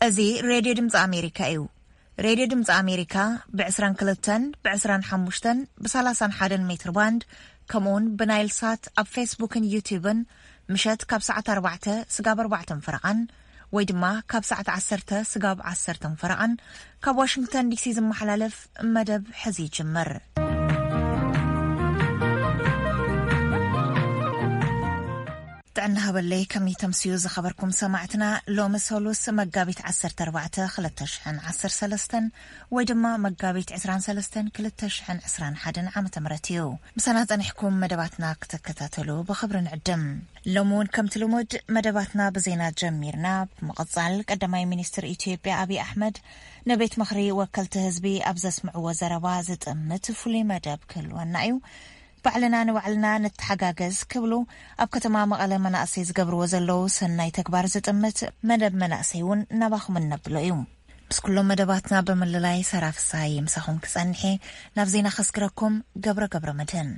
እዚ ሬድዮ ድምፂ ኣሜሪካ እዩ። ሬድዮ ድምፂ ኣሜሪካ ብ22፣ ብ25፣ ብ31 ሜትር ባንድ፣ ከምኡውን ብናይል ሳት ኣብ ፌስቡክን ዩቲዩብን ምሸት ካብ ሰዓት ኣርባዕተ ስጋብ ኣርባዕተን ፈረቓን ወይ ድማ ካብ ሰዓት ዓሰርተ ስጋብ ዓሰርተን ፈረቓን ካብ ዋሽንግተን ዲሲ ዝመሓላለፍ መደብ ሕዚ ይጅምር። ጥዕና ሃበለይ፣ ከመይ ተምስዩ ዝኸበርኩም ሰማዕትና? ሎሚ ሰሉስ መጋቢት ዓሰርተ ኣርባዕተ ክልተ ሽሕን ዓሰርተ ሰለስተን ወይ ድማ መጋቢት ዕስራን ሰለስተን ክልተ ሽሕን ዕስራን ሓደን ዓመተ ምህረት እዩ። ምሳና ጸኒሕኩም መደባትና ክትከታተሉ ብኽብሪ ንዕድም። ሎሚ እውን ከምቲ ልሙድ መደባትና ብዜና ጀሚርና። ብምቕጻል ቀዳማይ ሚኒስትር ኢትዮጵያ ኣብይ ኣሕመድ ንቤት ምኽሪ ወከልቲ ህዝቢ ኣብ ዘስምዕዎ ዘረባ ዝጥምት ፍሉይ መደብ ክህልወና እዩ። ባዕልና ንባዕልና ንተሓጋገዝ ክብሉ ኣብ ከተማ መቐለ መናእሰይ ዝገብርዎ ዘለዉ ሰናይ ተግባር ዝጥምት መደብ መናእሰይ እውን ናባኹም እነብሎ እዩ። ምስ ኩሎም መደባትና ብምልላይ ሰራ ፍስሃየ ምሳኹም ክጸንሕ እየ። ናብ ዜና ከስግረኩም ገብረ ገብረ መድህን።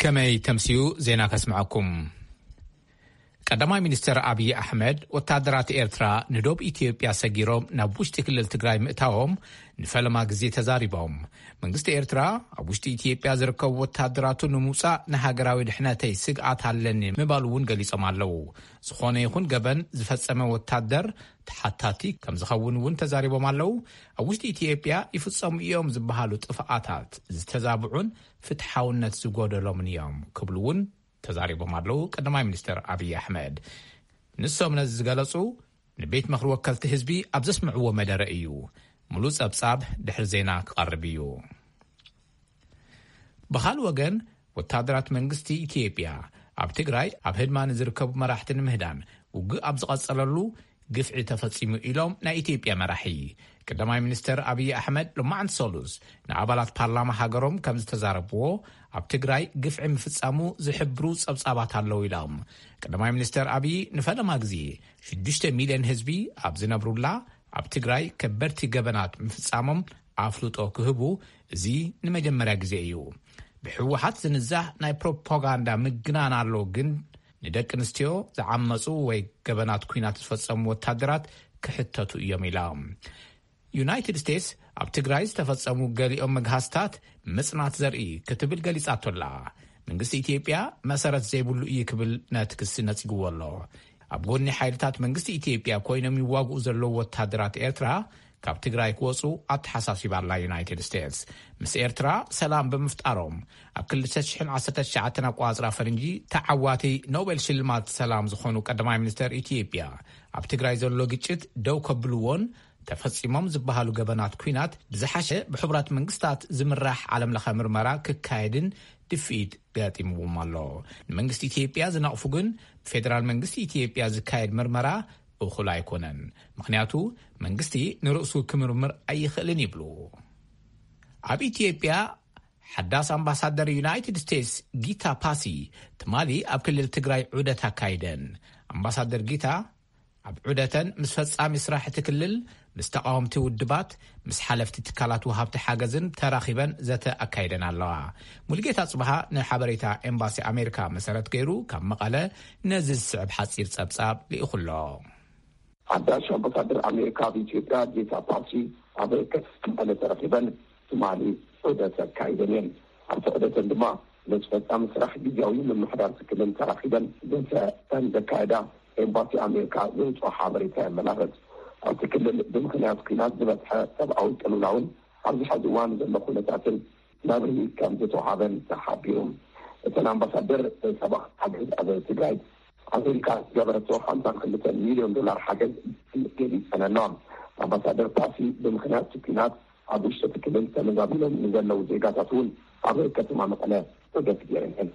ከመይ ተምስዩ ዜና ከስምዐኩም። ቀዳማይ ሚኒስተር ኣብይ ኣሕመድ፣ ወታደራት ኤርትራ ንዶብ ኢትዮጵያ ሰጊሮም ናብ ውሽጢ ክልል ትግራይ ምእታዎም ንፈለማ ግዜ ተዛሪቦም። መንግስቲ ኤርትራ ኣብ ውሽጢ ኢትዮጵያ ዝርከቡ ወታደራቱ ንምውጻእ ንሃገራዊ ድሕነተይ ስግኣት ኣለኒ ምባሉ እውን ገሊጾም ኣለዉ። ዝኾነ ይኹን ገበን ዝፈጸመ ወታደር ተሓታቲ ከም ዝኸውን እውን ተዛሪቦም ኣለዉ። ኣብ ውሽጢ ኢትዮጵያ ይፍጸሙ እዮም ዝበሃሉ ጥፍኣታት ዝተዛብዑን ፍትሓውነት ዝጎደሎምን እዮም ክብሉ እውን ተዛሪቦም ኣለዉ ቀዳማይ ሚኒስተር ኣብይ ኣሕመድ። ንሶም ነዚ ዝገለጹ ንቤት ምኽሪ ወከልቲ ህዝቢ ኣብ ዘስምዕዎ መደረ እዩ። ሙሉእ ጸብጻብ ድሕሪ ዜና ክቐርብ እዩ። ብኻልእ ወገን፣ ወታደራት መንግስቲ ኢትዮጵያ ኣብ ትግራይ ኣብ ህድማ ንዝርከቡ መራሕቲ ንምህዳን ውግእ ኣብ ዝቐጸለሉ ግፍዒ ተፈጺሙ ኢሎም ናይ ኢትዮጵያ መራሒ። ቀዳማይ ሚኒስተር ኣብይ ኣሕመድ ሎማዕንቲ ሰሉስ ንኣባላት ፓርላማ ሃገሮም ከም ዝተዛረብዎ፣ ኣብ ትግራይ ግፍዒ ምፍጻሙ ዝሕብሩ ጸብጻባት ኣለዉ ኢሎም። ቀዳማይ ሚኒስተር ኣብይ ንፈለማ ግዜ ሽዱሽተ ሚልዮን ህዝቢ ኣብ ዝነብሩላ ኣብ ትግራይ ከበድቲ ገበናት ምፍጻሞም ኣፍልጦ ክህቡ እዚ ንመጀመርያ ግዜ እዩ። ብህወሓት ዝንዛህ ናይ ፕሮፓጋንዳ ምግናን ኣሎ፣ ግን ንደቂ ኣንስትዮ ዝዓመፁ ወይ ገበናት ኲናት ዝፈጸሙ ወታደራት ክሕተቱ እዮም ኢላ። ዩናይትድ ስቴትስ ኣብ ትግራይ ዝተፈጸሙ ገሊኦም መግሃስታት ምጽናት ዘርኢ ክትብል ገሊጻቶ ኣላ። መንግስቲ ኢትዮጵያ መሰረት ዘይብሉ እዩ ክብል ነቲ ክሲ ነጺግዎ ኣሎ። ኣብ ጎኒ ሓይልታት መንግስቲ ኢትዮጵያ ኮይኖም ይዋግኡ ዘለዉ ወታደራት ኤርትራ ካብ ትግራይ ክወጹ ኣተሓሳሲባ ኣላ ዩናይትድ ስቴትስ። ምስ ኤርትራ ሰላም ብምፍጣሮም ኣብ ክልተ ሽሕን ዓሰርተ ትሽዓተን ኣቆጻጽራ ፈረንጂ ተዓዋቲ ኖቤል ሽልማት ሰላም ዝኾኑ ቀዳማይ ሚኒስተር ኢትዮጵያ ኣብ ትግራይ ዘሎ ግጭት ደው ከብልዎን ተፈጺሞም ዝበሃሉ ገበናት ኲናት ብዝሓሸ ብሕቡራት መንግስታት ዝምራሕ ዓለምለኸ ምርመራ ክካየድን ድፍኢት ገጢምዎም ኣሎ። ንመንግስቲ ኢትዮጵያ ዝነቕፉ ግን ብፌደራል መንግስቲ ኢትዮጵያ ዝካየድ ምርመራ እኹል ኣይኮነን። ምኽንያቱ መንግስቲ ንርእሱ ክምርምር ኣይኽእልን ይብሉ። ኣብ ኢትዮጵያ ሓዳስ ኣምባሳደር ዩናይትድ ስቴትስ ጊታ ፓሲ ትማሊ ኣብ ክልል ትግራይ ዑደት ኣካይደን። ኣምባሳደር ጊታ ኣብ ዑደተን ምስ ፈጻሚ ስራሕ እቲ ክልል፣ ምስ ተቓወምቲ ውድባት፣ ምስ ሓለፍቲ ትካላት ወሃብቲ ሓገዝን ተራኺበን ዘተ ኣካይደን ኣለዋ። ሙልጌታ ጽብሃ ንሓበሬታ ኤምባሲ ኣሜሪካ መሰረት ገይሩ ካብ መቐለ ነዚ ዝስዕብ ሓጺር ጸብጻብ ልኢኹ ኣሎ። ሓዳሽ ኣምባሳደር ኣሜሪካ ኣብ ኢትዮጵያ ጌታ ፓሲ ኣብ ከተማ መቐለ ተረኺበን ትማሊ ዑደት ኣካይደን እየን። ኣብቲ ዑደተን ድማ ምስ ፈጻሚ ስራሕ ግዝያዊ ምምሕዳር እቲ ክልል ተራኺበን ዘተ ከም ዘካየዳ ኤምባሲ ኣሜሪካ ዘውፅኦ ሓበሬታ የመላኽት። ኣብቲ ክልል ብምኽንያት ኲናት ዝበፅሐ ሰብኣዊ ቅልውላውን ኣብዚ ሕዚ እዋን ዘሎ ኩነታትን መብርሂ ከም ዝተውሃበን ተሓቢሩ። እተን ኣምባሳደር ሰብኣዊ ሓገዝ ኣብ ትግራይ ኣሜሪካ ዝገበረቶ ሓምሳን ክልተን ሚልዮን ዶላር ሓገዝ ገሊፀን ኣለዋ። ኣምባሳደር ፓሲ ብምኽንያት እቲ ኲናት ኣብ ውሽጢ እቲ ክልል ተመዛቢሎም ንዘለዉ ዜጋታት እውን ኣብ ከተማ መቐለ ዑደት ገይረን እየን።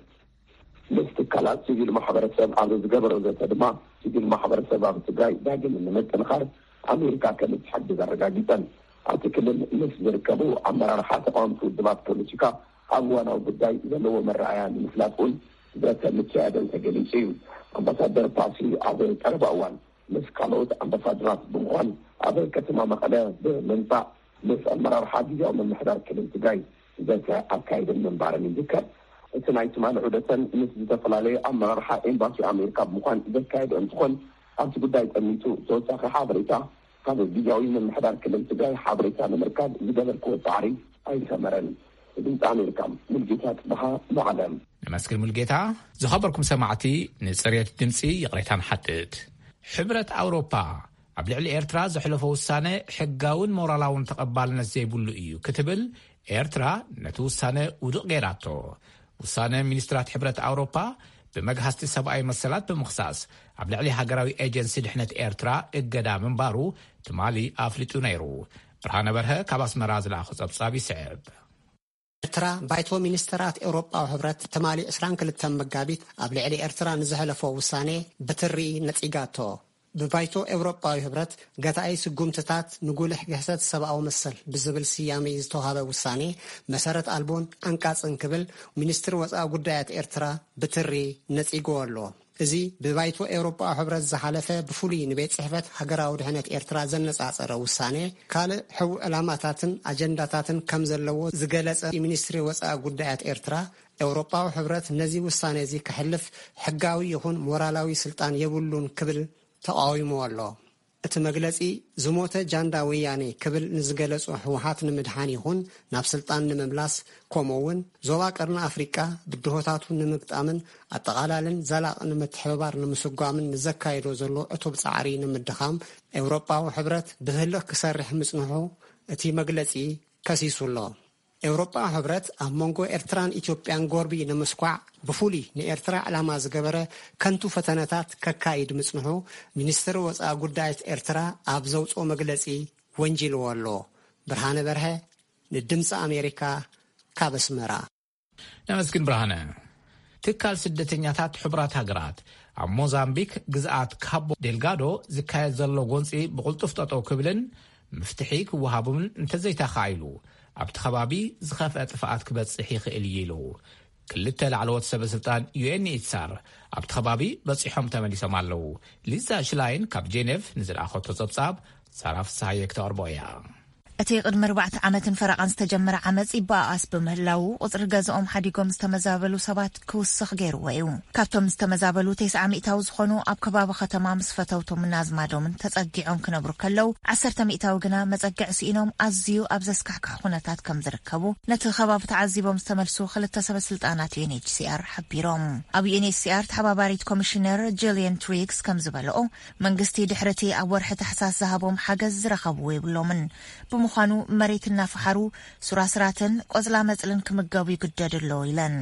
ምስ ትካላት ሲቪል ማሕበረሰብ ኣብ ዝገበሮ ዘተ ድማ፣ ሲቪል ማሕበረሰብ ኣብ ትግራይ ዳግም ንምጥንኻር ኣሜሪካ ከም እትሕግዝ ኣረጋጊፀን። ኣብቲ ክልል ምስ ዝርከቡ ኣመራርሓ ተቃወምቲ ውድባት ፖለቲካ ኣብ እዋናዊ ጉዳይ ዘለዎ መረኣያ ንምፍላጥ እውን ዘተ ምክያደን ተገሊጹ እዩ። ኣምባሳደር ፓሲ ኣብ ቀረባ እዋን ምስ ካልኦት ኣምባሳደራት ብምዃን ኣብ ከተማ መቐለ ብምምጻእ ምስ ኣመራርሓ ግዝያዊ ምምሕዳር ክልል ትግራይ ዘተ ኣካይደን ምንባረን ይዝከር። እቲ ናይ ትማሊ ዑደተን ምስ ዝተፈላለዩ ኣመራርሓ ኤምባሲ ኣሜሪካ ብምዃን ዘካየደ እንትኾን፣ ኣብቲ ጉዳይ ጠሚቱ ተወሳኺ ሓበሬታ ካብ ግዝያዊ ምምሕዳር ክልል ትግራይ ሓበሬታ ንምርካብ ዝገበርክዎ ጻዕሪ ኣይሰመረን። ድምፂ ኣሜሪካ፣ ሙልጌታ ጽበሃ፣ መቐለ። ነመስግን ሙልጌታ። ዝኸበርኩም ሰማዕቲ፣ ንጽሬት ድምፂ ይቕሬታ ንሓትት። ሕብረት ኣውሮፓ ኣብ ልዕሊ ኤርትራ ዘሕለፎ ውሳነ ሕጋውን ሞራላውን ተቐባልነት ዘይብሉ እዩ ክትብል ኤርትራ ነቲ ውሳነ ውድቕ ገይራቶ። ውሳነ ሚኒስትራት ሕብረት ኣውሮፓ ብመግሃስቲ ሰብኣዊ መሰላት ብምኽሳስ ኣብ ልዕሊ ሃገራዊ ኤጀንሲ ድሕነት ኤርትራ እገዳ ምንባሩ ትማሊ ኣፍሊጡ ነይሩ። ብርሃነ በርሀ ካብ ኣስመራ ዝለኣኾ ጸብጻብ ይስዕብ። ኤርትራ ባይቶ ሚኒስተራት ኤውሮጳዊ ሕብረት ትማሊ ዕስራን ክልተን መጋቢት ኣብ ልዕሊ ኤርትራ ንዘሕለፎ ውሳኔ ብትሪ ነጺጋቶ። ብባይቶ ኤውሮጳዊ ሕብረት ገታኢ ስጉምትታት ንጉልሕ ግህሰት ሰብኣዊ መሰል ብዝብል ስያሜ ዝተዋሃበ ውሳኔ መሰረት ኣልቦን ዓንቃጽን ክብል ሚኒስትሪ ወጻኢ ጉዳያት ኤርትራ ብትሪ ነጺግዎ ኣሎ። እዚ ብባይቶ ኤውሮጳዊ ሕብረት ዝሓለፈ ብፍሉይ ንቤት ጽሕፈት ሃገራዊ ድሕነት ኤርትራ ዘነጻጸረ ውሳኔ ካልእ ሕቡእ ዕላማታትን ኣጀንዳታትን ከም ዘለዎ ዝገለጸ ሚኒስትሪ ወጻኢ ጉዳያት ኤርትራ፣ ኤውሮጳዊ ሕብረት ነዚ ውሳኔ እዚ ከሕልፍ ሕጋዊ ይኹን ሞራላዊ ስልጣን የብሉን ክብል ተቃዊምዎ ኣሎ። እቲ መግለጺ ዝሞተ ጃንዳ ወያኔ ክብል ንዝገለጾ ህወሓት ንምድሓን ይኹን ናብ ስልጣን ንምምላስ፣ ከምኡ እውን ዞባ ቀርኒ ኣፍሪቃ ብድሆታቱ ንምግጣምን ኣጠቓላልን ዘላቒ ንምትሕብባር ንምስጓምን ንዘካየዶ ዘሎ ዕቱብ ጻዕሪ ንምድኻም ኤውሮጳዊ ሕብረት ብህልኽ ክሰርሕ ምጽንሑ እቲ መግለጺ ከሲሱ ኣሎ። ኤውሮጳዊ ሕብረት ኣብ መንጎ ኤርትራን ኢትዮጵያን ጎርቢ ንምስኳዕ ብፍሉይ ንኤርትራ ዕላማ ዝገበረ ከንቱ ፈተነታት ከካይድ ምጽንሑ ሚኒስትሪ ወጻኢ ጉዳያት ኤርትራ ኣብ ዘውጽኦ መግለጺ ወንጂልዎ ኣሎ። ብርሃነ በርሀ ንድምፂ ኣሜሪካ ካብ ኣስመራ። ነመስግን ብርሃነ። ትካል ስደተኛታት ሕቡራት ሃገራት ኣብ ሞዛምቢክ ግዝኣት ካቦ ዴልጋዶ ዝካየድ ዘሎ ጎንፂ ብቕልጡፍ ጠጠው ክብልን ምፍትሒ ክወሃቡን እንተዘይተኻኢሉ ኣብቲ ከባቢ ዝኸፍአ ጥፍኣት ክበፅሕ ይኽእል እዩ ኢሉ። ክልተ ላዕለዎት ሰበ ስልጣን ዩ ኤን ኤች ሲ ኣር ኣብቲ ከባቢ በፂሖም ተመሊሶም ኣለዉ። ሊዛ ሽላይን ካብ ጄኔቭ ንዝለኣኸቶ ጸብጻብ ሳራ ፍስሃየ ክተቕርቦ እያ። እቲ ቅድሚ ኣርባዕተ ዓመትን ፈረቓን ዝተጀመረ ዓመጽ ይበኣኣስ ብምህላዉ፣ ቁጽሪ ገዝኦም ሓዲጎም ዝተመዛበሉ ሰባት ክውስኽ ገይርዎ እዩ። ካብቶም ዝተመዛበሉ፣ ተስዓ ሚእታዊ ዝኾኑ ኣብ ከባቢ ከተማ ምስ ፈተውቶምን ኣዝማዶምን ተጸጊዖም ክነብሩ ከለዉ፣ ዓሰርተ ሚእታዊ ግና መጸግዒ ስኢኖም ኣዝዩ ኣብ ዘስካሕክሕ ኩነታት ከም ዝርከቡ ነቲ ከባቢ ተዓዚቦም ዝተመልሱ ክልተ ሰበ ስልጣናት ዩ ኤን ኤች ሲ ኣር ሓቢሮም። ኣብ ዩ ኤን ኤች ሲ ኣር ተሓባባሪት ኮሚሽነር ጂልየን ትሪግስ ከም ዝበለኦ፣ መንግስቲ ድሕሪ እቲ ኣብ ወርሒ ታሕሳስ ዝሃቦም ሓገዝ ዝረኸብዎ የብሎምን። ብምዃኑ መሬት እናፈሓሩ ሱራስራትን ቆጽላ መጽልን ክምገቡ ይግደዱ ኣለዉ ኢለን።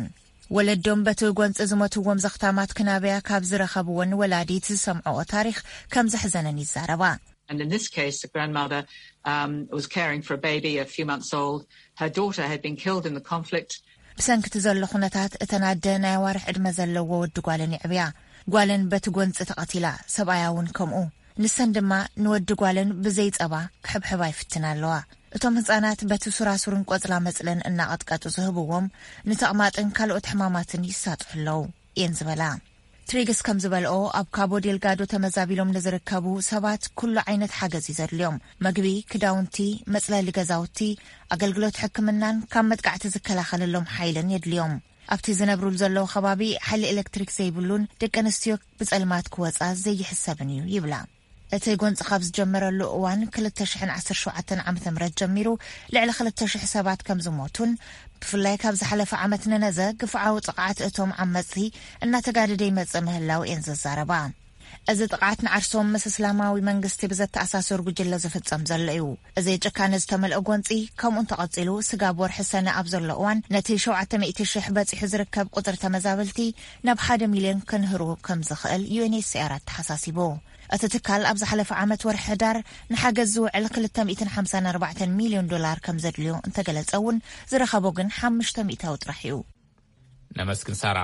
ወለዶም በቲ ጎንፂ ዝሞትዎም ዘኽታማት ክናበያ ካብ ዝረኸብወን ወላዲት ዝሰምዐኦ ታሪኽ ከም ዘሕዘነን ይዛረባ። And in this case, the grandmother, um, was caring for a baby a few months old. Her daughter had been killed in the conflict. ብሰንኪ እቲ ዘሎ ኩነታት፣ እተን ኣደ ናይ ኣዋርሕ ዕድመ ዘለዎ ወዲ ጓለን የዕብያ። ጓለን በቲ ጎንፂ ተቐቲላ፣ ሰብኣያ እውን ከምኡ። ንሰን ድማ ንወዲ ጓለን ብዘይ ጸባ ክሕብሕባ ይፍትና ኣለዋ። እቶም ህጻናት በቲ ሱራሱርን ቆጽላ መጽለን እናቐጥቀጡ ዝህብዎም ንተቕማጥን ካልኦት ሕማማትን ይሳጥሑ ኣለዉ እየን ዝበላ። ትሪግስ ከም ዝበልኦ፣ ኣብ ካቦ ዴልጋዶ ተመዛቢሎም ንዝርከቡ ሰባት ኩሉ ዓይነት ሓገዝ እዩ ዘድልዮም። መግቢ፣ ክዳውንቲ፣ መጽለሊ ገዛውቲ፣ ኣገልግሎት ሕክምናን ካብ መጥቃዕቲ ዝከላኸለሎም ሓይልን የድልዮም። ኣብቲ ዝነብሩሉ ዘለዉ ከባቢ ሓይሊ ኤሌክትሪክ ዘይብሉን ደቂ ኣንስትዮ ብጸልማት ክወጻ ዘይሕሰብን እዩ ይብላ። እቲ ጎንጺ ካብ ዝጀመረሉ እዋን ክልተ ሽሕን ዓሰርተ ሸውዓተን ዓመተ ምህረት ጀሚሩ ልዕሊ ክልተ ሽሕ ሰባት ከም ዝሞቱን ብፍላይ ካብ ዝሓለፈ ዓመት ንነዘ ግፍዓዊ ጥቕዓት እቶም ዓመጽቲ እናተጋደደ ይመጽእ ምህላው እየን ዝዛረባ። እዚ ጥቕዓት ንዓርሶም ምስ እስላማዊ መንግስቲ ብዘተኣሳሰር ጉጅለ ዝፍጸም ዘሎ እዩ። እዚ ጭካነ ዝተመልኦ ጎንጺ ከምኡ እንተቐጺሉ፣ ስጋብ ወርሒ ሰነ ኣብ ዘሎ እዋን ነቲ ሸውዓተ ሚእቲ ሽሕ በጺሑ ዝርከብ ቁጽሪ ተመዛበልቲ ናብ ሓደ ሚልዮን ክንህሩ ከም ዝኽእል ዩ ኤን ኤች ሲ ኣር ኣተሓሳሲቡ። እቲ ትካል ኣብ ዝሓለፈ ዓመት ወርሒ ሕዳር ንሓገዝ ዝውዕል ክልተ ሚእትን ሓምሳን ኣርባዕተን ሚልዮን ዶላር ከም ዘድልዮ እንተገለጸ እውን፣ ዝረኸቦ ግን ሓሙሽተ ሚእታዊ ጥራሕ እዩ። ነመስግን ሳራ።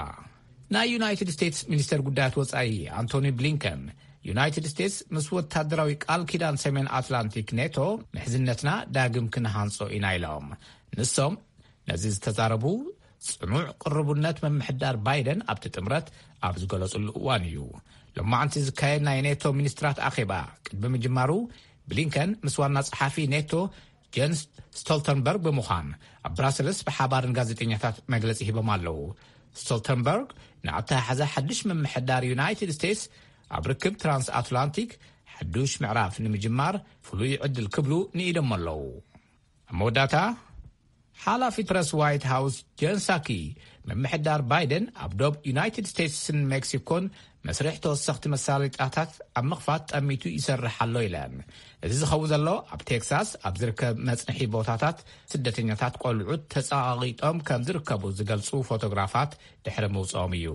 ናይ ዩናይትድ ስቴትስ ሚኒስተር ጉዳያት ወጻኢ ኣንቶኒ ብሊንከን፣ ዩናይትድ ስቴትስ ምስ ወታደራዊ ቃል ኪዳን ሰሜን ኣትላንቲክ ኔቶ ምሕዝነትና ዳግም ክንሃንጾ ኢና ኢሎም። ንሶም ነዚ ዝተዛረቡ፣ ጽኑዕ ቅርቡነት ምምሕዳር ባይደን ኣብቲ ጥምረት ኣብ ዝገለጹሉ እዋን እዩ። ሎማዕንቲ ዝካየድ ናይ ኔቶ ሚኒስትራት ኣኼባ ቅድሚ ምጅማሩ፣ ብሊንከን ምስ ዋና ጸሓፊ ኔቶ ጀንስ ስቶልተንበርግ ብምዃን ኣብ ብራሰልስ ብሓባር ንጋዜጠኛታት መግለጺ ሂቦም ኣለዉ። ስቶልተንበርግ ንኣተሓሕዛ ሓድሽ ምምሕዳር ዩናይትድ ስቴትስ ኣብ ርክብ ትራንስ ኣትላንቲክ ሓዱሽ ምዕራፍ ንምጅማር ፍሉይ ዕድል ክብሉ ንኢዶም ኣለዉ። ኣብ መወዳእታ፣ ሓላፊ ፕረስ ዋይት ሃውስ ጀን ሳኪ፣ ምምሕዳር ባይደን ኣብ ዶብ ዩናይትድ ስቴትስን ሜክሲኮን መስርሕ ተወሰኽቲ መሳለጥያታት ኣብ ምኽፋት ጠሚቱ ይሰርሕ ኣሎ ኢለን። እዚ ዝኸውን ዘሎ ኣብ ቴክሳስ ኣብ ዝርከብ መጽንሒ ቦታታት ስደተኛታት ቆልዑት ተጸቓቒጦም ከም ዝርከቡ ዝገልጹ ፎቶግራፋት ድሕሪ ምውጽኦም እዩ።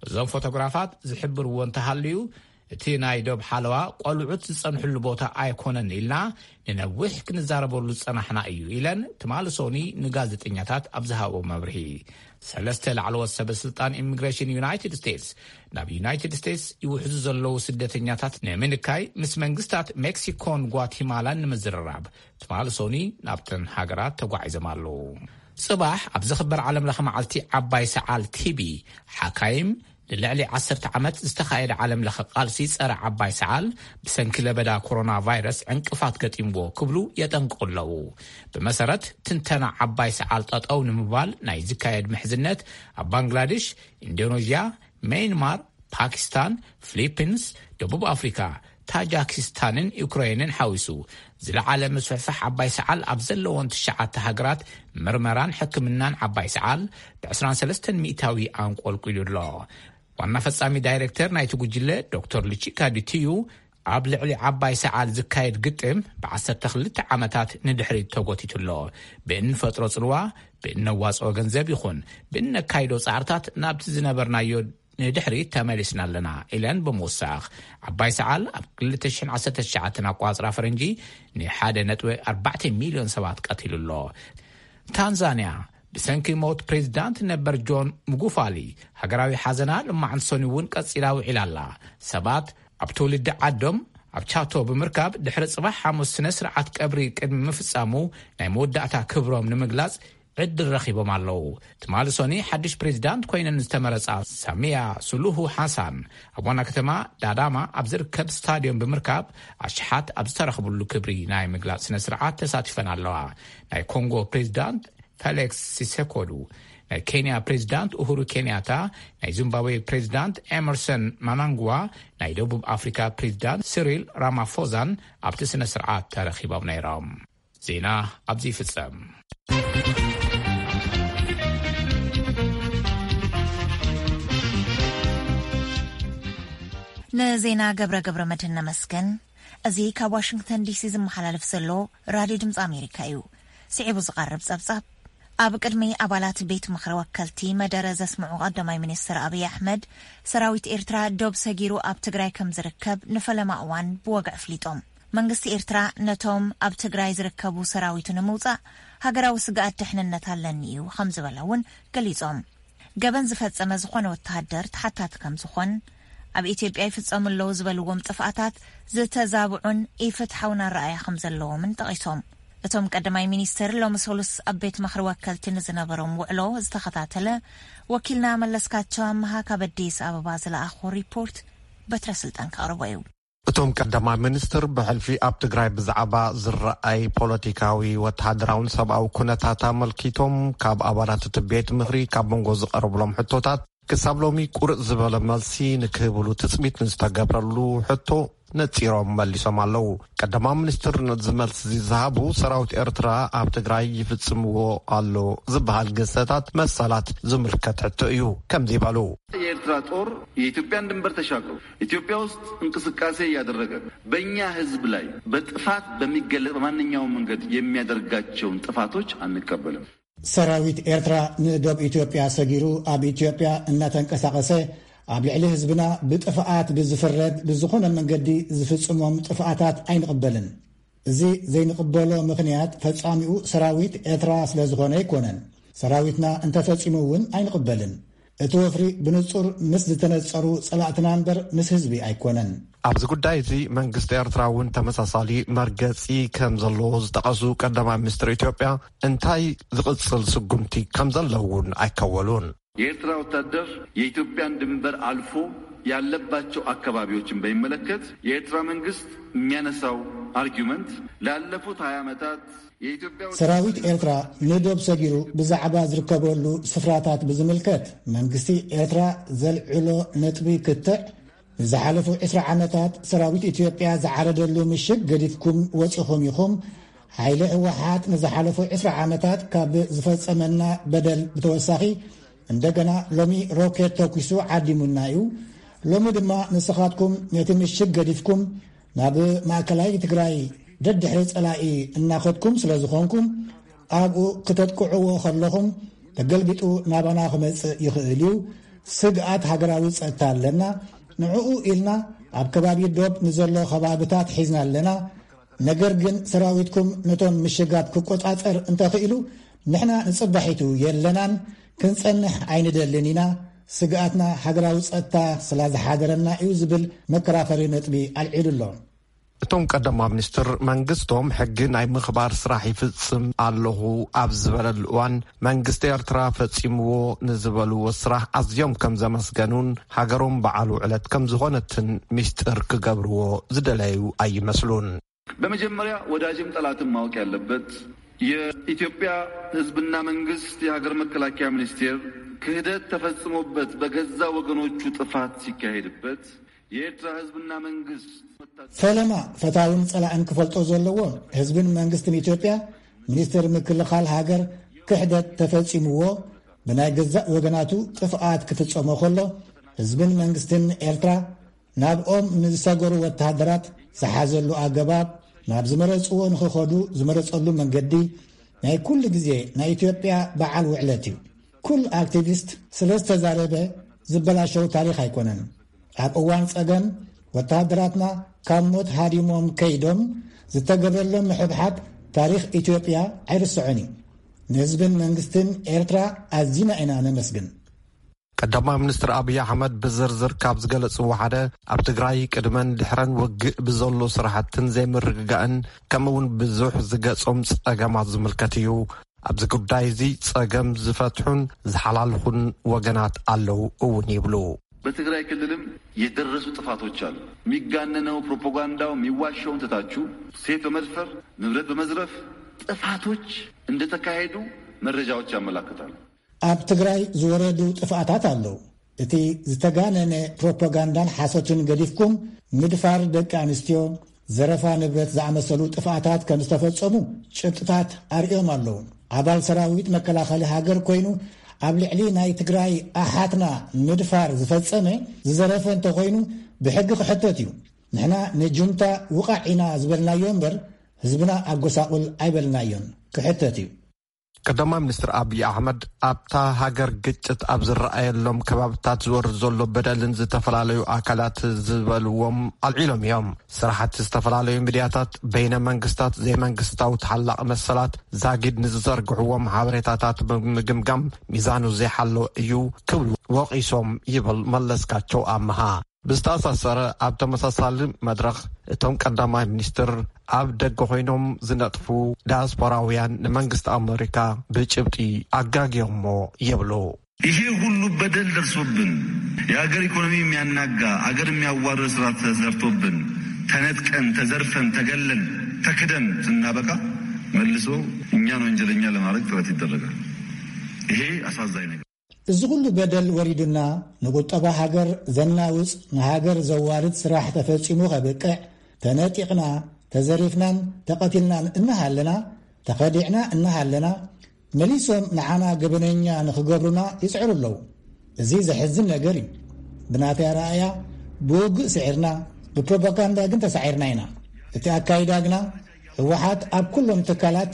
እዞም ፎቶግራፋት ዝሕብርዎ እንተሃልዩ፣ እቲ ናይ ዶብ ሓለዋ ቆልዑት ዝጸንሕሉ ቦታ ኣይኮነን ኢልና ንነዊሕ ክንዛረበሉ ዝጸናሕና እዩ ኢለን ትማሊ ሶኒ ንጋዜጠኛታት ኣብ ዝሃቦ መብርሂ። ሰለስተ ላዕለዎት ሰበ ስልጣን ኢሚግሬሽን ዩናይትድ ስቴትስ ናብ ዩናይትድ ስቴትስ ይውሕዙ ዘለዉ ስደተኛታት ንምንካይ ምስ መንግስታት ሜክሲኮን ጓቲማላን ንምዝርራብ ትማሊ ሶኒ ናብተን ሃገራት ተጓዒዞም ኣለዉ። ጽባሕ ኣብ ዝኽበር ዓለም ለኸ መዓልቲ ዓባይ ሰዓል ቲቢ፣ ሓካይም ንልዕሊ ዓሰርተ ዓመት ዝተኻየደ ዓለም ለኸ ቃልሲ ጸረ ዓባይ ሰዓል ብሰንኪ ለበዳ ኮሮና ቫይረስ ዕንቅፋት ገጢምዎ ክብሉ የጠንቅቑ ኣለዉ። ብመሰረት ትንተና ዓባይ ሰዓል ጠጠው ንምባል ናይ ዝካየድ ምሕዝነት ኣብ ባንግላዴሽ፣ ኢንዶኔዥያ፣ ሜይንማር፣ ፓኪስታን፣ ፊሊፒንስ፣ ደቡብ ኣፍሪካ፣ ታጃኪስታንን ዩክሬንን ሓዊሱ ዝለዓለ ምስፍሕፋሕ ዓባይ ሰዓል ኣብ ዘለዎን ትሽዓተ ሃገራት ምርመራን ሕክምናን ዓባይ ሰዓል ብ ዕስራን ሰለስተን ሚእታዊ ኣንቆልቂሉ ኣሎ። ዋና ፈጻሚ ዳይሬክተር ናይቲ ጉጅለ ዶክተር ሉቺካ ዲቲዩ፣ ኣብ ልዕሊ ዓባይ ሰዓል ዝካየድ ግጥም ብ ዓሰርተ ክልተ ዓመታት ንድሕሪት ተጎቲቱ ኣሎ። ብእንፈጥሮ ጽልዋ፣ ብእነዋጽኦ ገንዘብ ይኹን ብእነካይዶ ጻዕርታት ናብቲ ዝነበርናዮ ንድሕሪት ተመሊስና ኣለና ኢለን ብምውሳኽ፣ ዓባይ ሰዓል ኣብ ክልተ ሽሕን ዓሰርተ ትሽዓተን ኣቋጽራ ፈረንጂ ንሓደ ነጥቢ ኣርባዕተ ሚልዮን ሰባት ቀቲሉ ኣሎ። ታንዛንያ ብሰንኪ ሞት ፕሬዚዳንት ነበር ጆን ሙጉፋሊ፣ ሃገራዊ ሓዘና ልማዓንቲ ሶኒ እውን ቀጺላ ውዒላ ኣላ። ሰባት ኣብ ትውልዲ ዓዶም ኣብ ቻቶ ብምርካብ ድሕሪ ጽባሕ ሓሙስ ስነ ስርዓት ቀብሪ ቅድሚ ምፍጻሙ ናይ መወዳእታ ክብሮም ንምግላጽ ዕድል ረኺቦም ኣለዉ። ትማሊ ሶኒ ሓድሽ ፕሬዚዳንት ኮይነን ዝተመረጻ ሳሚያ ሱሉሁ ሓሳን ኣብ ዋና ከተማ ዳዳማ ኣብ ዝርከብ ስታድዮም ብምርካብ ኣሽሓት ኣብ ዝተረኽብሉ ክብሪ ናይ ምግላጽ ስነ ስርዓት ተሳቲፈን ኣለዋ። ናይ ኮንጎ ፕሬዚዳንት ፌሊክስ ሲሴኮዱ፣ ናይ ኬንያ ፕሬዚዳንት ኡሁሩ ኬንያታ፣ ናይ ዚምባብዌ ፕሬዚዳንት ኤመርሰን ማናንግዋ፣ ናይ ደቡብ ኣፍሪካ ፕሬዚዳንት ሲሪል ራማፎዛን ኣብቲ ስነ ስርዓት ተረኺቦም ነይሮም። ዜና ኣብዚ ይፍጸም። ንዜና ገብረ ገብረ መድህን ነመስገን። እዚ ካብ ዋሽንግተን ዲሲ ዝመሓላለፍ ዘሎ ራድዮ ድምፂ ኣሜሪካ እዩ። ስዒቡ ዝቐርብ ጸብጻብ፣ ኣብ ቅድሚ ኣባላት ቤት ምኽሪ ወከልቲ መደረ ዘስምዑ ቀዳማይ ሚኒስትር ኣብይ ኣሕመድ፣ ሰራዊት ኤርትራ ዶብ ሰጊሩ ኣብ ትግራይ ከም ዝርከብ ንፈለማ እዋን ብወግዒ ኣፍሊጦም። መንግስቲ ኤርትራ ነቶም ኣብ ትግራይ ዝርከቡ ሰራዊቱ ንምውጻእ ሃገራዊ ስግኣት ድሕንነት ኣለኒ እዩ ከም ዝበለ እውን ገሊጾም። ገበን ዝፈጸመ ዝኾነ ወተሃደር ተሓታቲ ከም ዝኾን፣ ኣብ ኢትዮጵያ ይፍጸሙ ኣለዉ ዝበልዎም ጥፍኣታት ዝተዛብዑን ኢፍትሓውን ኣረኣእያ ከም ዘለዎምን ጠቒሶም። እቶም ቀዳማይ ሚኒስትር ሎሚ ሰሉስ ኣብ ቤት ምኽሪ ወከልቲ ንዝነበሮም ውዕሎ ዝተኸታተለ ወኪልና መለስካቸው ኣመሃ ካብ ኣዲስ ኣበባ ዝለኣኾ ሪፖርት በትረ ስልጣን ከቕርቦ እዩ። እቶም ቀዳማይ ሚኒስትር ብሕልፊ ኣብ ትግራይ ብዛዕባ ዝረኣይ ፖለቲካዊ ወተሃደራውን ሰብኣዊ ኩነታት ኣመልኪቶም ካብ ኣባላት እቲ ቤት ምኽሪ ካብ መንጎ ዝቐረብሎም ሕቶታት ክሳብ ሎሚ ቁርጥ ዝበለ መልሲ ንክህብሉ ትፅቢት ንዝተገብረሉ ሕቶ ነፂሮም መሊሶም ኣለዉ። ቀዳማይ ሚኒስትር ነዚ መልሲ እዚ ዝሃቡ ሰራዊት ኤርትራ ኣብ ትግራይ ይፍፅምዎ ኣሎ ዝበሃል ግህሰታት መሰላት ዝምልከት ሕቶ እዩ ከምዚ በሉ። የኤርትራ ጦር የኢትዮጵያን ድንበር ተሻግሮ ኢትዮጵያ ውስጥ እንቅስቃሴ እያደረገ በእኛ ህዝብ ላይ በጥፋት በሚገለጽ በማንኛውም መንገድ የሚያደርጋቸውን ጥፋቶች አንቀበልም። ሰራዊት ኤርትራ ንዶብ ኢትዮጵያ ሰጊሩ ኣብ ኢትዮጵያ እናተንቀሳቐሰ ኣብ ልዕሊ ህዝብና ብጥፍኣት ብዝፍረድ ብዝኾነ መንገዲ ዝፍጽሞም ጥፍኣታት ኣይንቕበልን። እዚ ዘይንቕበሎ ምኽንያት ፈጻሚኡ ሰራዊት ኤርትራ ስለዝኾነ ኣይኮነን። ሰራዊትና እንተፈጺሙ እውን ኣይንቕበልን። እቲ ወፍሪ ብንጹር ምስ ዝተነጸሩ ጸላእትና እምበር ምስ ህዝቢ ኣይኮነን። ኣብዚ ጉዳይ እዚ መንግስቲ ኤርትራ እውን ተመሳሳሊ መርገጺ ከም ዘለዎ ዝጠቐሱ ቀዳማይ ሚኒስትር ኢትዮጵያ እንታይ ዝቕጽል ስጉምቲ ከም ዘሎ እውን ኣይከወሉን። የኤርትራ ወታደር የኢትዮጵያን ድንበር አልፎ ያለባቸው አካባቢዎችን በሚመለከት የኤርትራ መንግስት የሚያነሳው argument ላለፉት ሃያ ዓመታት የኢትዮጵያ ሰራዊት ኤርትራ ንዶብ ሰጊሩ ብዛዕባ ዝርከበሉ ስፍራታት ብዝምልከት መንግስቲ ኤርትራ ዘልዕሎ ነጥቢ ክትዕ ንዝሓለፉ ዕስራ ዓመታት ሰራዊት ኢትዮጵያ ዝዓረደሉ ምሽግ ገዲፍኩም ወፂኹም ኢኹም። ሓይሊ ህወሓት ንዝሓለፉ ዕስራ ዓመታት ካብ ዝፈፀመና በደል ብተወሳኺ እንደገና ሎሚ ሮኬት ተኩሱ ዓዲሙና እዩ። ሎሚ ድማ ንስኻትኩም ነቲ ምሽግ ገዲፍኩም ናብ ማእከላይ ትግራይ ደድሕሪ ጸላኢ እናኸድኩም ስለ ዝኾንኩም ኣብኡ ክተጥቅዕዎ ከለኹም ተገልቢጡ ናባና ክመጽእ ይኽእል እዩ። ስግኣት ሃገራዊ ጸጥታ ኣለና። ንዕኡ ኢልና ኣብ ከባቢ ዶብ ንዘሎ ከባብታት ሒዝና ኣለና። ነገር ግን ሰራዊትኩም ነቶም ምሽጋት ክቆጻጸር እንተኽኢሉ ንሕና ንጽባሒቱ የለናን ክንጸንሕ ኣይንደልን ኢና። ስግኣትና ሃገራዊ ጸጥታ ስላ ዝሓደረና እዩ ዝብል መከራኸሪ ነጥቢ ኣልዒሉ ኣሎ። እቶም ቀዳማይ ሚኒስትር መንግስቶም ሕጊ ናይ ምኽባር ስራሕ ይፍጽም ኣለኹ ኣብ ዝበለሉ እዋን መንግስቲ ኤርትራ ፈጺምዎ ንዝበልዎ ስራሕ ኣዝዮም ከም ዘመስገኑን ሃገሮም በዓል ውዕለት ከም ዝኾነትን ሚስጥር ክገብርዎ ዝደለዩ ኣይመስሉን። በመጀመሪያ ወዳጅም ጠላትም ማወቅ ያለበት የኢትዮጵያ ህዝብና መንግስት የሀገር መከላከያ ሚኒስቴር ክህደት ተፈጽሞበት በገዛ ወገኖቹ ጥፋት ሲካሄድበት የኤርትራ ህዝብና መንግስት ፈለማ ፈታውን ጸላእን ክፈልጦ ዘለዎ ህዝብን መንግስትን ኢትዮጵያ ሚኒስቴር ምክልኻል ሃገር ክሕደት ተፈጺምዎ ብናይ ገዛእ ወገናቱ ጥፍኣት ክፍጸሞ ከሎ ህዝብን መንግስትን ኤርትራ ናብኦም ንዝሰገሩ ወተሃደራት ዝሓዘሉ ኣገባብ ናብ ዝመረጽዎ ንኽኸዱ ዝመረጸሉ መንገዲ ናይ ኩሉ ግዜ ናይ ኢትዮጵያ በዓል ውዕለት እዩ። ኩል ኣክቲቪስት ስለ ዝተዛረበ ዝበላሸው ታሪኽ ኣይኮነን። ኣብ እዋን ጸገም ወተሃደራትና ካብ ሞት ሃዲሞም ከይዶም ዝተገበረሎም ምሕብሓብ ታሪኽ ኢትዮጵያ ኣይርስዖን እዩ። ንህዝብን መንግስትን ኤርትራ ኣዚና ኢና ነመስግን። ቀዳማይ ሚኒስትር ኣብይ ኣሕመድ ብዝርዝር ካብ ዝገለጽዎ ሓደ ኣብ ትግራይ ቅድመን ድሕረን ውግእ ብዘሎ ስራሕትን ዘይምርግጋእን ከምኡ እውን ብዙሕ ዝገጾም ጸገማት ዝምልከት እዩ። ኣብዚ ጉዳይ እዚ ጸገም ዝፈትሑን ዝሓላልኹን ወገናት ኣለዉ እውን ይብሉ። በትግራይ ክልልም የደረሱ ጥፋቶች አሉ። የሚጋነነው ፕሮፓጋንዳው የሚዋሸውን ትታችሁ ሴት በመድፈር ንብረት በመዝረፍ ጥፋቶች እንደተካሄዱ መረጃዎች ያመላክታሉ። ኣብ ትግራይ ዝወረዱ ጥፍኣታት ኣለዉ። እቲ ዝተጋነነ ፕሮፓጋንዳን ሓሶትን ገዲፍኩም ምድፋር ደቂ ኣንስትዮ፣ ዘረፋ ንብረት ዝኣመሰሉ ጥፍኣታት ከም ዝተፈጸሙ ጭብጥታት ኣርእዮም ኣለዉ። ኣባል ሰራዊት መከላኸሊ ሃገር ኮይኑ ኣብ ልዕሊ ናይ ትግራይ ኣሓትና ምድፋር ዝፈጸመ ዝዘረፈ እንተኾይኑ ብሕጊ ክሕተት እዩ። ንሕና ንጁንታ ውቓዕ ኢና ዝበልናዮ እምበር ህዝብና ኣጎሳቑል ኣይበልናዮን። ክሕተት እዩ። ቀዳማይ ሚኒስትር ኣብይ ኣሕመድ ኣብታ ሃገር ግጭት ኣብ ዝረኣየሎም ከባብታት ዝወርድ ዘሎ በደልን ዝተፈላለዩ ኣካላት ዝበልዎም ኣልዒሎም እዮም። ስራሕቲ ዝተፈላለዩ ሚድያታት፣ በይነ መንግስታት፣ ዘይመንግስታዊ ተሓላቒ መሰላት ዛጊድ ንዝዘርግሕዎም ሓበሬታታት ብምግምጋም ሚዛኑ ዘይሓለወ እዩ ክብሉ ወቒሶም ይብል መለስካቸው ኣምሃ። ብዝተኣሳሰረ ኣብ ተመሳሳሊ መድረኽ እቶም ቀዳማይ ሚኒስትር ኣብ ደገ ኮይኖም ዝነጥፉ ዳያስፖራውያን ንመንግስቲ ኣመሪካ ብጭብጢ ኣጋግዮሞ ይብሉ። ይሄ ሁሉ በደል ደርሶብን የሀገር ኢኮኖሚ የሚያናጋ አገር የሚያዋርድ ስራ ተሰርቶብን ተነጥቀን ተዘርፈን ተገለን ተክደን ስናበቃ መልሶ እኛን ወንጀለኛ ለማድረግ ጥረት ይደረጋል። ይሄ አሳዛኝ ነገር። እዚ ኩሉ በደል ወሪዱና ንቁጠባ ሃገር ዘናውጽ ንሃገር ዘዋርድ ስራሕ ተፈጺሙ ከብቅዕ ተነጢቕና ተዘሪፍናን ተቐቲልናን እናሃለና ተኸዲዕና እናሃለና መሊሶም ንዓና ገበነኛ ንኽገብሩና ይጽዕሩ ኣለዉ። እዚ ዘሕዝን ነገር እዩ። ብናተይ ኣረኣእያ ብውግእ ስዒርና ብፕሮፓጋንዳ ግን ተሳዒርና ኢና። እቲ ኣካይዳ ግና ህወሓት ኣብ ኩሎም ትካላት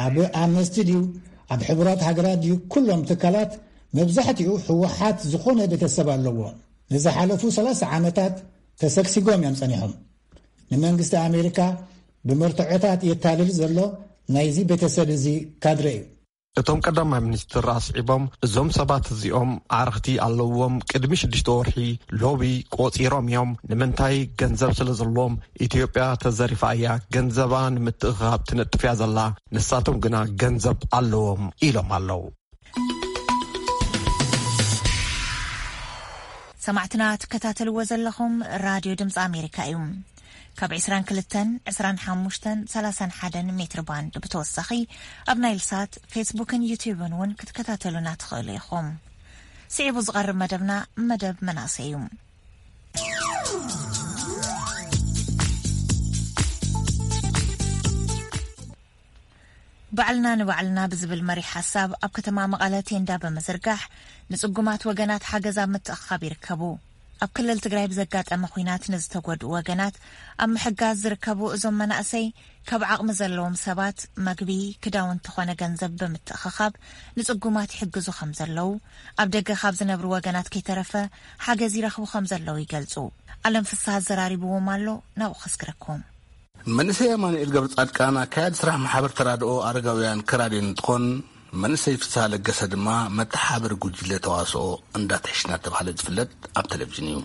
ኣብ ኣምነስቲ ድዩ ኣብ ሕቡራት ሃገራት ድዩ ኩሎም ትካላት መብዛሕትኡ ህወሓት ዝኾነ ቤተሰብ ኣለዎ። ንዝሓለፉ ሰላሳ ዓመታት ተሰግሲጎም እዮም ጸኒሖም። ንመንግስቲ ኣሜሪካ ብመርትዖታት የታልል ዘሎ ናይዚ ቤተሰብ እዚ ካድረ እዩ። እቶም ቀዳማይ ሚኒስትር ኣስዒቦም እዞም ሰባት እዚኦም ኣዕርኽቲ ኣለዎም፣ ቅድሚ ሽዱሽተ ወርሒ ሎቢ ቆጺሮም እዮም። ንምንታይ? ገንዘብ ስለ ዘለዎም። ኢትዮጵያ ተዘሪፋ እያ፣ ገንዘባ ንምትእኽኻብ ትነጥፍ እያ ዘላ፣ ንሳቶም ግና ገንዘብ ኣለዎም ኢሎም ኣለዉ። ሰማዕትና ትከታተልዎ ዘለኹም ራድዮ ድምፂ ኣሜሪካ እዩ። ካብ ዕስራን ክልተን፣ ዕስራን ሓሙሽተን፣ ሰላሳን ሓደን ሜትር ባንድ ብተወሳኺ ኣብ ናይል ሳት፣ ፌስቡክን ዩትዩብን እውን ክትከታተሉና ትኽእሉ ኢኹም። ስዒቡ ዝቐርብ መደብና መደብ መናእሰይ እዩ። ባዕልና ንባዕልና ብዝብል መሪሕ ሓሳብ ኣብ ከተማ መቐለ ቴንዳ ብምዝርጋሕ ንጽጉማት ወገናት ሓገዝ ኣብ ምትእኽኻብ ይርከቡ። ኣብ ክልል ትግራይ ብዘጋጠመ ኹናት ንዝተጎድኡ ወገናት ኣብ ምሕጋዝ ዝርከቡ እዞም መናእሰይ ካብ ዓቕሚ ዘለዎም ሰባት መግቢ፣ ክዳውንቲ ኾነ ገንዘብ ብምትእኽኻብ ንጽጉማት ይሕግዙ ከም ዘለዉ፣ ኣብ ደገ ካብ ዝነብሩ ወገናት ከይተረፈ ሓገዝ ይረኽቡ ከም ዘለዉ ይገልጹ። ኣለም ፍስሃ ኣዘራሪብዎም ኣሎ፣ ናብኡ ከስግረኩም። መንእሰይ ኣማኑኤል ገብረ ጻድቃን ኣካያዲ ስራሕ ማሕበር ተራድኦ ኣረጋውያን ከራድዮ እንትኾን፣ መንእሰይ ፍስሃ ለገሰ ድማ መተሓባበሪ ጉጅለ ተዋስኦ እንዳትሕሽ እናተባህለ ዝፍለጥ ኣብ ቴሌቪዥን እዩ።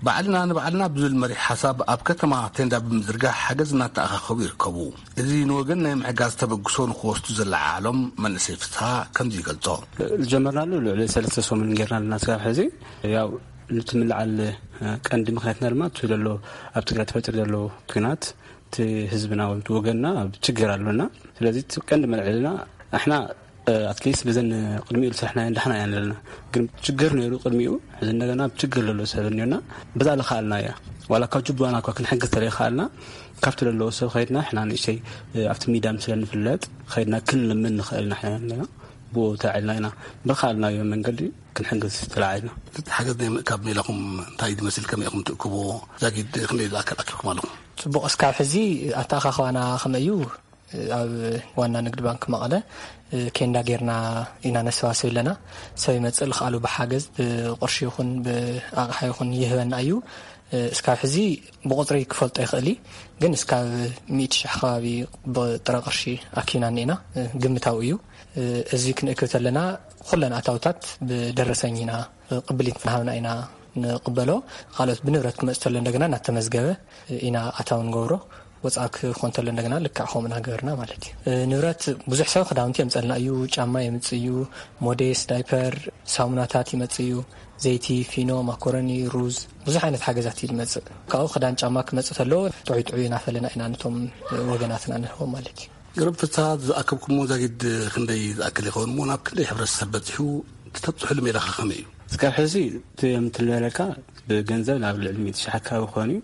ባዕልና ንባዕልና ብዝብል መሪሕ ሓሳብ ኣብ ከተማ ቴንዳ ብምዝርጋሕ ሓገዝ እናተኣኻኸቡ ይርከቡ። እዚ ንወገን ናይ ምሕጋዝ ተበግሶ ንክወስዱ ዘለዓዓሎም መንእሰይ ፍስሃ ከምዚ ይገልጾ። ዝጀመርናሉ ልዕሊ ሰለስተ ሰሙን ጌርና ኣለና። ስጋብ ሕዚ ያው፣ እቲ ምልዓል ቀንዲ ምኽንያትና ድማ እቲ ዘሎ ኣብ ትግራይ ተፈጢሩ ዘሎ ኲናት፣ እቲ ህዝብና ወይ ወገንና ኣብ ችግር ኣሎና። ስለዚ እቲ ቀንዲ መልዕልና ኣሕና ኣትሊስት ብዘን ቅድሚኡ ዝሰርሕናዮ እንዳሕና ኢና ዘለና። ግን ችግር ነይሩ ቅድሚኡ፣ ሕዚ እንደገና ኣብ ችግር ዘሎ ሰብ እኒኦና። በዛ ልኸኣልና እያ። ዋላ ካብ ጅቡና እኳ ክንሕግዝ ተለይኸኣልና፣ ካብቲ ዘለዎ ሰብ ኸይድና ሕና ንእሽተይ ኣብቲ ሚዳም ስለ ንፍለጥ ኸይድና ክንልምን ንኽእል ኢና። ሕና ኣለና ብኡ ተላዒልና ኢና፣ ብኸኣልናዮ መንገዲ ክንሕግዝ ተላዒልና። እቲ ሓገዝ ናይ ምእካብ ሜላኹም እንታይ ዝመስል፣ ከመይ ኢኹም ትእክብዎ? ዛጊድ ክንደይ ዝኣክል ኣኪብኩም ኣለኹም? ጽቡቕ፣ እስካብ ሕዚ ኣተኣኻኽባና ከመይ እዩ? ኣብ ዋና ንግድ ባንክ መቐለ ኬንዳ ጌርና ኢና ነሰባስብ ኣለና። ሰብ ይመጽእ፣ ልኽኣሉ ብሓገዝ ብቕርሺ ይኹን ብኣቕሓ ይኹን ይህበና እዩ። እስካብ ሕዚ ብቑጽሪ ክፈልጦ ይኽእል እዩ፣ ግን እስካብ ሚእቲ ሽሕ ከባቢ ብጥረ ቅርሺ ኣኪብና እኒኤና። ግምታዊ እዩ። እዚ ክንእክብ ተለና ኩለን ኣታውታት ብደረሰኝ ኢና ቅብሊት እናሃብና ኢና ንቕበሎ። ካልኦት ብንብረት ክመጽእ ተሎ እንደገና እናተመዝገበ ኢና ኣታዊ ንገብሮ። ወጻኢ ክኾን ተሎ እንደገና ልክዕ ከምኡ እናገበርና ማለት እዩ። ንብረት ብዙሕ ሰብ ክዳውንቲ የምጸልና እዩ፣ ጫማ የምጽእ እዩ፣ ሞዴስ፣ ዳይፐር፣ ሳሙናታት ይመጽእ እዩ፣ ዘይቲ፣ ፊኖ፣ ማኮረኒ፣ ሩዝ፣ ብዙሕ ዓይነት ሓገዛት እዩ ዝመጽእ። ካብኡ ክዳን ጫማ ክመጽእ ተሎ ጥዑይ ጥዑይ እናፈለና ኢና ነቶም ወገናትና ንህቦም ማለት እዩ። ገረብ ፍትሓ ዝኣከብኩሞ ዛጊድ ክንደይ ዝኣክል ይኸውን እሞ ናብ ክንደይ ሕብረተሰብ በጺሑ? እቲ ተብጽሑሉ ሜላኸ ከመይ እዩ? እስካብ ሕዚ እቲ የምትለለካ ብገንዘብ ናብ ልዕሊ ሚእቲ ሺሕ ኣካባቢ ክኾን እዩ።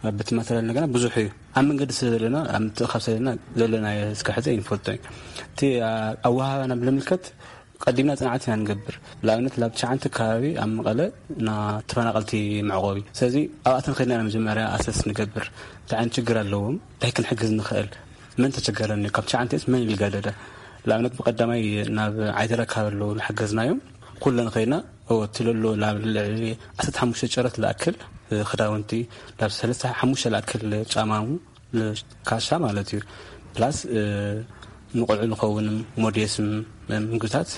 ኣብ ቤት ማተርያል እንደገና ብዙሕ እዩ። ኣብ መንገዲ ስለ ዘለና፣ ኣብ ምትእኻብ ስለ ዘለና ዘለናዮ እስካብ ሕዚ ኣይንፈልጦ እዩ። እቲ ኣወሃባና ብልምልከት ቀዲምና ጽንዓት ኢና ንገብር። ንኣብነት ላብ ትሽዓንተ ከባቢ ኣብ መቐለ ና ተፈናቐልቲ መዕቆቢ። ስለዚ ኣብኣተን ከድና ኢና መጀመርያ ኣሰስ ንገብር። እንታይ ዓይነት ችግር ኣለዎም? እንታይ ክንሕግዝ ንኽእል? መን ተቸገረኒ? ካብ ትሽዓንተስ መን ኢሉ ገደደ? ንኣብነት ብቐዳማይ ናብ ዓይደር ኣካባቢ ኣለዉ ዝሓገዝናዮም ኩለን ከይድና፣ ኦ፣ እቲ ለሎ ላብ ልዕሊ ዓሰርተ ሓሙሽተ ጨረት ዝኣክል ክዳውንቲ፣ ላብ ሰለስተ ሓሙሽተ ዝኣክል ጫማሙ፣ ካሻ ማለት እዩ። ፕላስ ንቆልዑ ዝኸውን ሞዴስን ምግብታት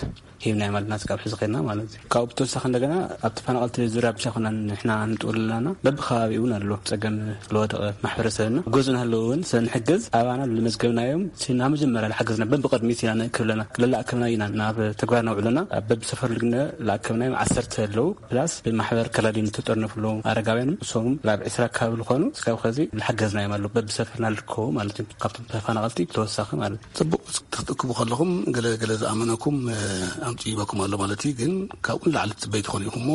ሂብና ማለት ናት ካብ ሕዚ ኸድና ማለት እዩ። ካብኡ ብተወሳኺ እንደገና ኣብ ተፈናቐልቲ ዙርያ ብቻ ኮና ንሕና ንጥውል ኣለና። በብከባቢ እውን ኣሎ ጸገም ዝወደቐ ማሕበረሰብና። ገዝኡ እናሃለዉ እውን ስለ ንሕግዝ ኣባና ዝመዝገብናዮም እቲ ናብ መጀመርያ ዝሓገዝና በብቕድሚት ኢና ንእክብ ኣለና። ለላእከብና ኢና ናብ ተግባር ነውዕለና። በብሰፈር ልግነ ላእከብናዮም ዓሰርተ ኣለዉ። ፕላስ ብማሕበር ከላዲን ዝተጠርነፉ ኣለዉ ኣረጋውያንም እሶም ላብ ዕስራ ኣካባቢ ዝኾኑ እስካብ ኸዚ ዝሓገዝናዮም ኣለዉ። በብሰፈርና ዝርከቡ ማለት እዩ። ካብቶም ተፈናቐልቲ ብተወሳኺ ማለት እዩ። ጽቡቕ፣ ክትእክቡ ከለኹም ገለ ገለ ዝኣመነኩም፣ እ፣ ኣምጺእበኩም ኣሎ ማለት እዩ። ግን ካብኡ ንላዕሊ ትጽበዩ ትኾኑ ኢኹም እሞ፣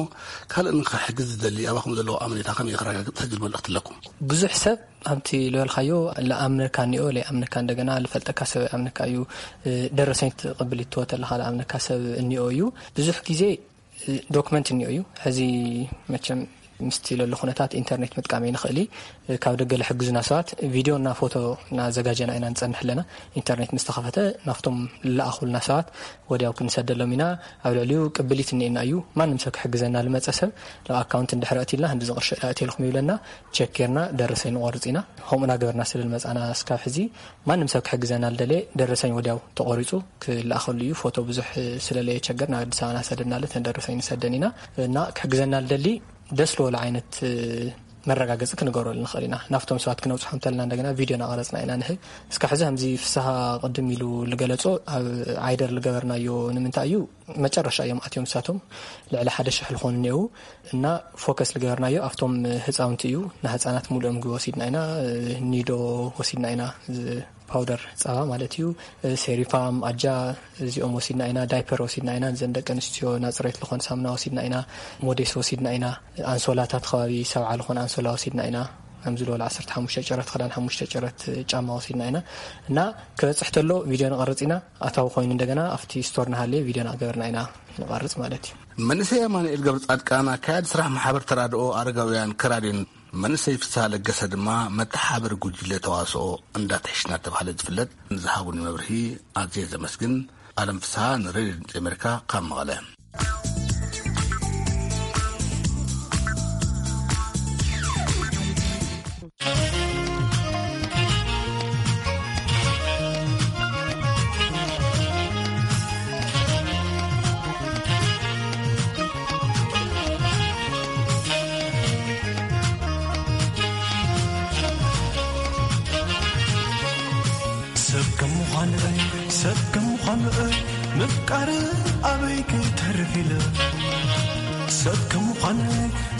ካልእ ንኽሕግዝ ዝደሊ ኣባኹም ዘለዎ ኣመኔታ ከመይ ከረጋግጽ ዝብል መልእኽቲ ኣለኩም? ብዙሕ ሰብ ኣብቲ ዝበልካዮ ልኣምነካ እኒኦ፣ ለይኣምነካ፣ እንደገና ልፈልጠካ ሰብ ኣይኣምነካ እዩ። እ፣ ደረሰኝ ትቕብል ይትወ ተለኻ ልኣምነካ ሰብ እኒኦ እዩ። ብዙሕ ግዜ ዶክመንት እኒኦ እዩ። ሕዚ መቸም ምስቲ ለሎ ኩነታት ኢንተርኔት ምጥቃም ኣይንኽእል እዩ። ካብ ደገ ልሕግዙና ሰባት ቪድዮ እና ፎቶ እናዘጋጀና ኢና ንጸንሕ ኣለና። ኢንተርኔት ምስ ተኸፈተ ናብቶም ልለኣኹልና ሰባት ወዲያው ክንሰደሎም ኢና። ኣብ ልዕሊኡ ቅብሊት እኒኤና እዩ። ማንም ሰብ ክሕግዘና ልመጸ ሰብ ናብ ኣካውንት እንድሕር ኣእቲልና፣ "ክንዲ ዝቕርሺ ኣእትየልኩም" ይብለና። ቸክ ጌርና ደረሰኝ ንቖርጽ ኢና። ከምኡ እናገበርና ስለ ልመጻና እስካብ ሕዚ ማንም ሰብ ክሕግዘና ልደልየ ደረሰኝ ወዲያው ተቖሪጹ ክለኣኸሉ እዩ። ፎቶ ብዙሕ ስለ ለየቸገር ናብ ኣዲስ ኣበባ እናሰደድናለ ተን ደረሰኝ ንሰደን ኢና። እና ክሕግዘና ልደሊ ደስ ዝበሎ ዓይነት፣ እ፣ መረጋገፂ ክንገብረሉ ንኽእል ኢና። ናብቶም ሰባት ክነብፅሖም እንተለና እንደገና ቪድዮ እናቐረፅና ኢና ንህብ። እስካብ ሕዚ ከምዚ ፍስሃ ቅድም ኢሉ ዝገለጾ ኣብ ዓይደር ዝገበርናዮ ንምንታይ እዩ? መጨረሻ እዮም ኣትዮም ንሳቶም ልዕሊ ሓደ ሽሕ ዝኾኑ እኒአው እና ፎከስ ዝገበርናዮ ኣብቶም ህፃውንቲ እዩ። ንህፃናት ሙሉኦም ምግቢ ወሲድና ኢና፣ ኒዶ ወሲድና ኢና፣ ዝ- ፓውደር ጸባ ማለት እዩ። ሴሪፋም፣ ኣጃ፣ እዚኦም ወሲድና ኢና። ዳይፐር ወሲድና ኢና። እዘን ደቂ ኣንስትዮ ናጽሬት ዝኾን ሳሙና ወሲድና ኢና። ሞዴስ ወሲድና ኢና። ኣንሶላታት ከባቢ ሰብዓ ዝኾን ኣንሶላ ወሲድና ኢና። ከምዚ ዝበሉ ዓሰርተ ሓሙሽተ ጨረት ክዳን፣ ሓሙሽተ ጨረት ጫማ ወሲድና ኢና። እና ክበጽሕ ተሎ ቪድዮ ንቐርጽ ኢና። ኣታዊ ኮይኑ እንደገና ኣብቲ ስቶር ንሃልየ ቪድዮ እናገበርና ኢና ንቐርጽ ማለት እዩ። መንእሰይ ኣማኑኤል ገብረ ጻድቃን ኣካያዲ ስራሕ ማሕበር ተራድኦ ኣረጋውያን ከራዲዮን መንእሰይ ፍስሃ ለገሰ ድማ መተሓባበሪ ጉጅለ ተዋስኦ እንዳትሕሽ እናተባህለ ዝፍለጥ ንዝሃቡኒ መብርሂ ኣዝየ ዘመስግን። ኣለም ፍስሃ ንሬድዮ ድምፂ ኣሜሪካ ካብ መቐለ። ሰብ ከም ምዃን'ይ ሰብ ከም ምዃን'ይ ምፍቃር ኣበይ ክተርፍ ኢለ። ሰብ ከም ምዃን'ይ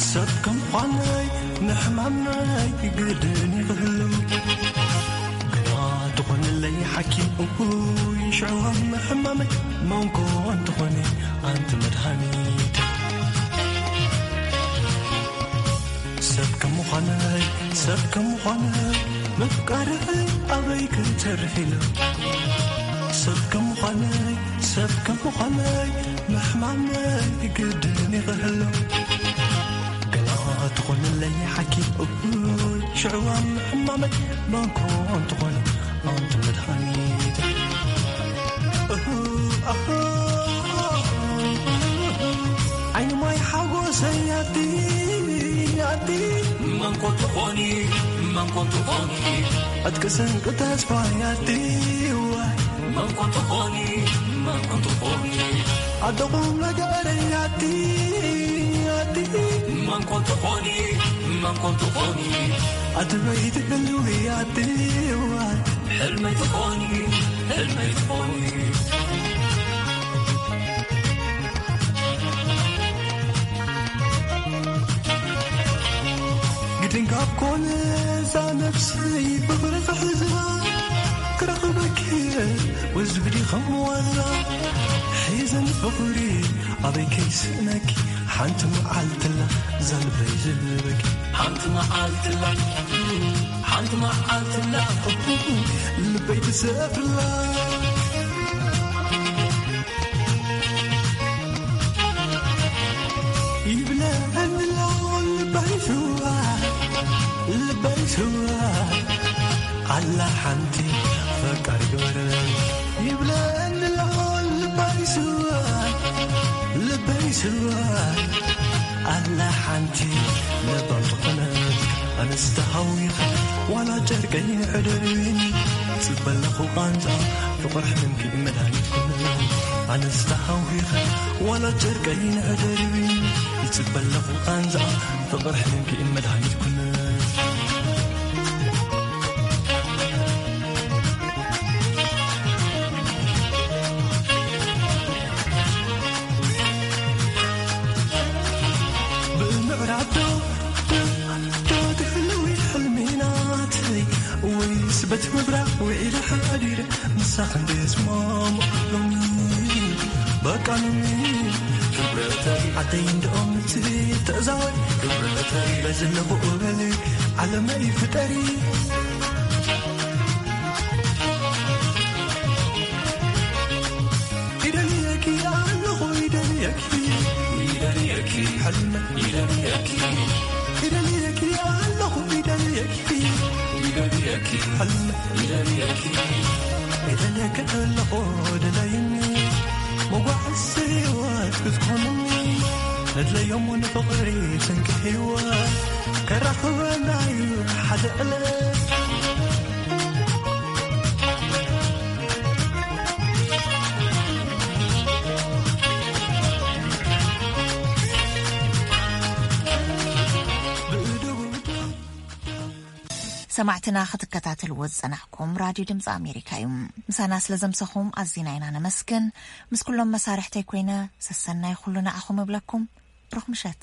ሰብ ከም ምዃን'ይ ንሕማም'ይ ግድን ይኽህሉ። ግና ትኾንለይ ሓኪም እኩይ ሽዕዋም ሕማመይ መንኮ እንተኾነ ኣንቲ መድሃኒት። ሰብ ከም ምዃነይ ሰብ ከም ምዃነይ ምፍቃርህ ኣበይ ክተርፍ ኢሉ። ሰብ ከም ምዃነይ ሰብ ከም ምዃነይ ምሕማመይ ግድን ይኽህሉ። ገና ትኾንለይ ሓኪም እኩይ ሽዕዋም ሕማመይ መንኮ እንተኾነ ኣንቲ መድሃኒት። ዓይኒ ማይ ሓጎሰይ ኣቲ ኣቲ መንኮ ትኾኒ መንኮ ትኾኒ ዕጥቂ ስንቂ ተስፋ ኣቲ ዋይ መንኮ ትኾኒ መንኮ ትኾኒ ኣደኹም ነገረይ ኣቲ ኣቲ መንኮ ትኾኒ መንኮ ትኾኒ ኣቲ በይቲ ህልዊ ኣቲ ዋይ ሕልመይ ትኾኒ ሕልመይ ትኾኒ ግድን ካብ ኮነ እዛ ነብሰይ ብፍቕሪ ክሕዛ ክረኽበኪ ወዝብዲ ከም ዋዛ ሒዘን ፍቕሪ ኣበይ ከይስእነኪ ሓንቲ መዓልትላ ዛልበይ ዝህበኪ ሓንቲ መዓልትላ ሓንቲ መዓልትላ ልበይ ትሰፍርላ ይብለኒ ኣሎ ልበይ ስዋ ልበይ ስዋ ኣላ ሓንቲ ፈቃሪ ግበረ ይብለኒ ኣሎ ልበይ ስዋ ልበይ ስዋ ኣላ ሓንቲ ለባም ዝኾነት ኣነስ ተሃዊኸ ዋላ ጨርቀይ ንሕደርኒ ጽበለኹ ቃንዛ ፍቕር ሕልምኪ መድሃኒት ኩነ ኣነስ ተሃዊኸ ዋላ ጨርቀይ ንሕደርኒ ይጽበለኹ ቃንዛ ፍቕር ሕልምኪ መድሃኒት ኩነ በቲ ምብራቕ ውዒለ ሓዲረ ምሳኽ እንድየ ስማሙ ሎሚ በቃ ሎሚ ክብረተይ ዓደይ እንድኦም ምጽ ተእዛወሪ ክብረተይ በዝለኹ እበሊ ዓለመይ ፍጠሪ ይደልየኪ ኣለኹ ይደልየኪ ይደልየኪ ሕልመ ይደልየኪ ይደልየኪ ኣለኹ ይደልየኪ ይደልየኪ ሕልመ ይደልየኪ ይደልየኪ ኣለኹ ደላይኒ መጓዕዚ ህይወት ክትኮንኒ ነድለዮም ንፍቕሪ ስንቂ ህይወት ከራኽበና እዩ ሓደ ዕለት ሰማዕትና ክትከታተልዎ ዝጸናሕኩም ራድዮ ድምፂ ኣሜሪካ እዩ። ምሳና ስለ ዘምሰኹም ኣዚና ኢና ነመስግን። ምስ ኩሎም መሳርሕተይ ኮይነ ሰሰናይ ኩሉ ንዓኹም እብለኩም። ብሩኽ ምሸት።